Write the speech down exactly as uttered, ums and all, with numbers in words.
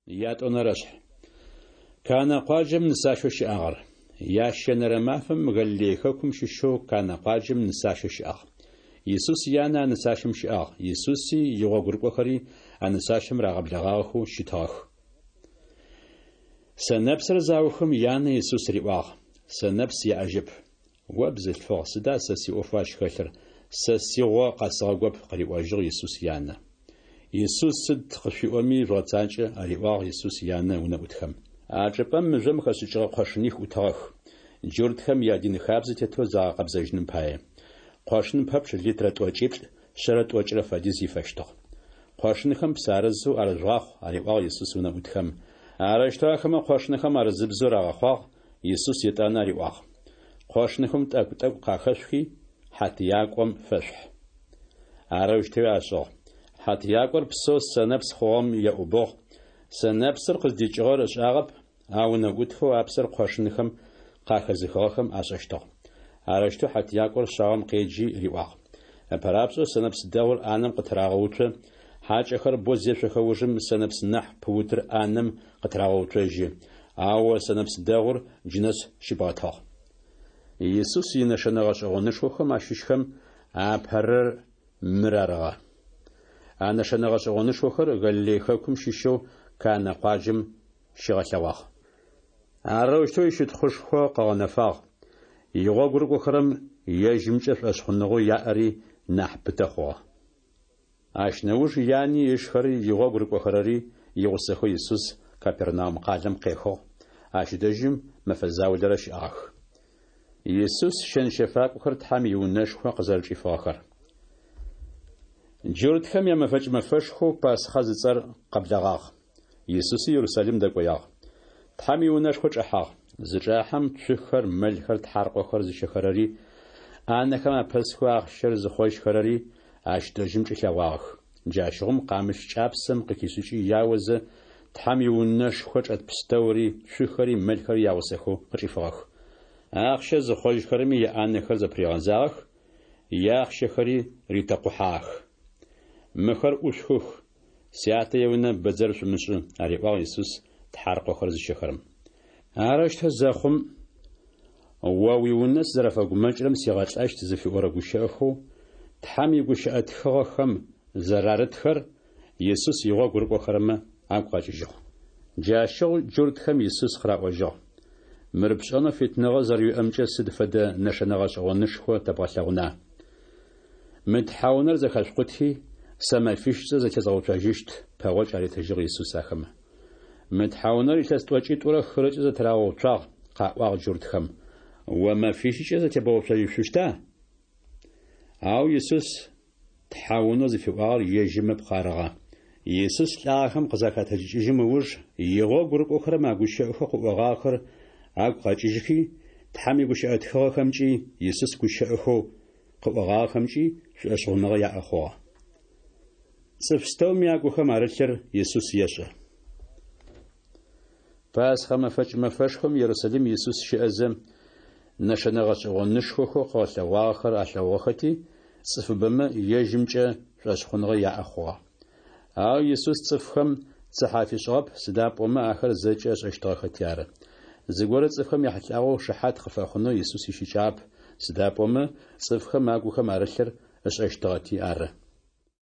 Ятӏонэрэшъхь. Канэ къуаджэм нысащэу щыӏагъэр. Ящэнэрэ мафэм Галилей хэкум щыщэу Канэ къуаджэм нысащэ щыӏагъ. Исус янэ а нысащэм щыӏагъ, Исуси игъогурыкӏохэри а нысащэм рагъэблэгъагъэхэу щытыгъэх. Сэнэпсыр заухым, янэ Исус риӏуагъ: Сэнэпс яӏэжьэп. О бзылъфыгъ, сыда сэ сиӏофэу ащ хэлъыр, сэ сигъо къэсыгъэгоп, къыриӏожьыгъ Исус янэ. Исус сыд къышъуиӏоми жъугъэцакӏэ, ариӏуагъ Исус янэ унэӏутхэм. А чӏыпӏэм мыжъом хэшӏыкӏыгъэ къошыних ӏутыгъэх, джуртхэм ядин хабзэ тетэу загъэкъэбзэжьыным пае. Къошын пэпчъ литрэ тӏокӏиплӏ шъэрэ тӏокӏырэ фэдиз ифэщтыгъ. Къошынхэм псы арызэу арыжъугъахъу, ариӏуагъ Исус унэӏутхэм. Арэущтэу ахэмэ къошынхэм арызыбзэу рагъэхъуагъ, Исус етӏанэ ариӏуагъ: Къошынхэм тӏэкӏу-тӏэкӏу къахэшъухи, хьатыякӏом фэшъухь. Арэущтэуи ашӏыгъ. Хьатыякӏор псэу сэнэпс хъугъэм еӏубыгъ, сэнэпсыр къыздикӏыгъэр ышӏагъэп, ау унэӏутхэу а псыр къошынхэм къахэзыхыгъэхэм ашӏэщтыгъ. Арэущтэу хьатыякӏор шъаом къеджи риӏуагъ: Ыпэрапшӏэу сэнэпс дэгъур ӏанэм къытырагъэуцо, хьакӏэхэр бэу зешъохэ ужым сэнэпс нахь пыутыр ӏанэм къытырагъэуцожьы, ау о сэнэпс дэгъур джынэс щыбгъэтыгъ. Исус инэшэнэ гъэшӏэгъонышхохэм ащыщхэм апэрэр мыр арыгъэ. А нэшэнэ гъэшӏэгъонышхохэр Галилей хэкум щыщэу Канэ къуаджэм щигъэлъэгъуагъ. Арэущтэу ищытхъушхо къыгъэнэфагъ, игъогу рыкӏохэрэм ежьымкӏэ шӏошъхъуныгъэу яӏэри нахь пытэ хъугъэ. Ащ нэуж яни ышхэри игъогу рыкӏохэрэри игъусэхэу Исус Капернаум къалэм къехыгъ, ащ дэжьым мэфэ заулэрэ щыӏагъэх. Исус щэн-щэфакӏохэр Тхьэм иунэшхо къызэрэчӏифыгъэхэр. Джуртхэм ямэфэкӏ мэфэшхоу Пасхъэ зыцӏэр къэблэгъагъ. Исуси Ерусалим дэкӏоягъ. Тхьэм иунэшхо чӏэхьагъ. Зычӏахьэм цухэр, мэлхэр, тхьаркъохэр зыщэхэрэри, ӏанэхэм апэсхэу ахъщэр зыхъожьхэрэри ащ дэжьым чӏилъэгъуагъэх. Джащыгъум къамыщ кӏапсэм къыхишӏыкӏи яозэ, Тхьэм иунэшхо чӏэт пстэури, цухэри мэлхэри ягъусэхэу къычӏифыгъэх. Ахъщэ зыхъожьхэрэми яӏанэхэр зэпыригъэзагъэх, яахъщэхэри ритэкъухьагъэх. Мыхэр ӏушъухых, Сятэ иунэ бэдзэр шъумышӏы, ариӏуагъ Исус тхьаркъохэр зыщэхэрэм. Арэущтэу зэхъум, О уиунэ сызэрэфэгумэкӏырэм сигъэлӏэщт зыфиӏорэ гущыӏэхэу Тхьэм игущыӏэ тхыгъэхэм зэрарытхэр Исус игъогу рыкӏохэрэмэ агу къэкӏыжьыгъ. Джащыгъу джуртхэм Исус къыраӏожьыгъ: Мыр пшӏэнэу фитыныгъэ зэрэуиӏэмкӏэ сыд фэдэ нэшэнэ гъэшӏэгъонышхо тэбгъэлъэгъуна? Мы тхьэунэр зэхэшъукъути, сэ мэфищкӏэ зэтезгъэуцожьыщт, пэгъокӏ аритыжьыгъ Исус ахэмэ. Мы тхьэунэр илъэс тӏокӏитӏурэ хырэкӏэ зэтырагъэуцуагъ, къаӏуагъ джуртхэм. О мэфищкӏэ зэтебгъэуцожьышъущта? Ау Исус тхьэунэу зыфиӏуагъэр ежьым ыпкъ арыгъэ. Исус лӏагъэхэм къызахэтэджыкӏыжьым ыуж игъогу рыкӏохэрэм а гущыӏэхэу къыӏогъагъэхэр агу къэкӏыжьхи, Тхьэм игущыӏэ тхыгъэхэмкӏи Исус гущыӏэхэу къыӏогъагъэхэмкӏи шӏошъхъуныгъэ яӏэ хъугъэ. Цӏыф пстэуми агухэм арылъыр Исус ешӏэ. Пасхъэ мэфэкӏ мэфэшхом Ерусалим Исус щыӏэзэ, нэшэнэ гъэшӏэгъонышхохэу къыгъэлъэгъуагъэхэр алъэгъугъэхэти, цӏыфыбэмэ ежьымкӏэ шӏошъхъуныгъэ яӏэ хъугъэ. Ау Исус цӏыфхэм цыхьэ афишӏыгъэп, сыда пӏомэ ахэр зэкӏэ ышӏэщтыгъэхэти ары. Зыгорэ цӏыфхэм яхьылӏагъэу шыхьат къыфэхъунэу Исус ищыкӏагъэп, сыда пӏомэ цӏыфхэм агухэм арылъыр ышӏэщтыгъэти ары.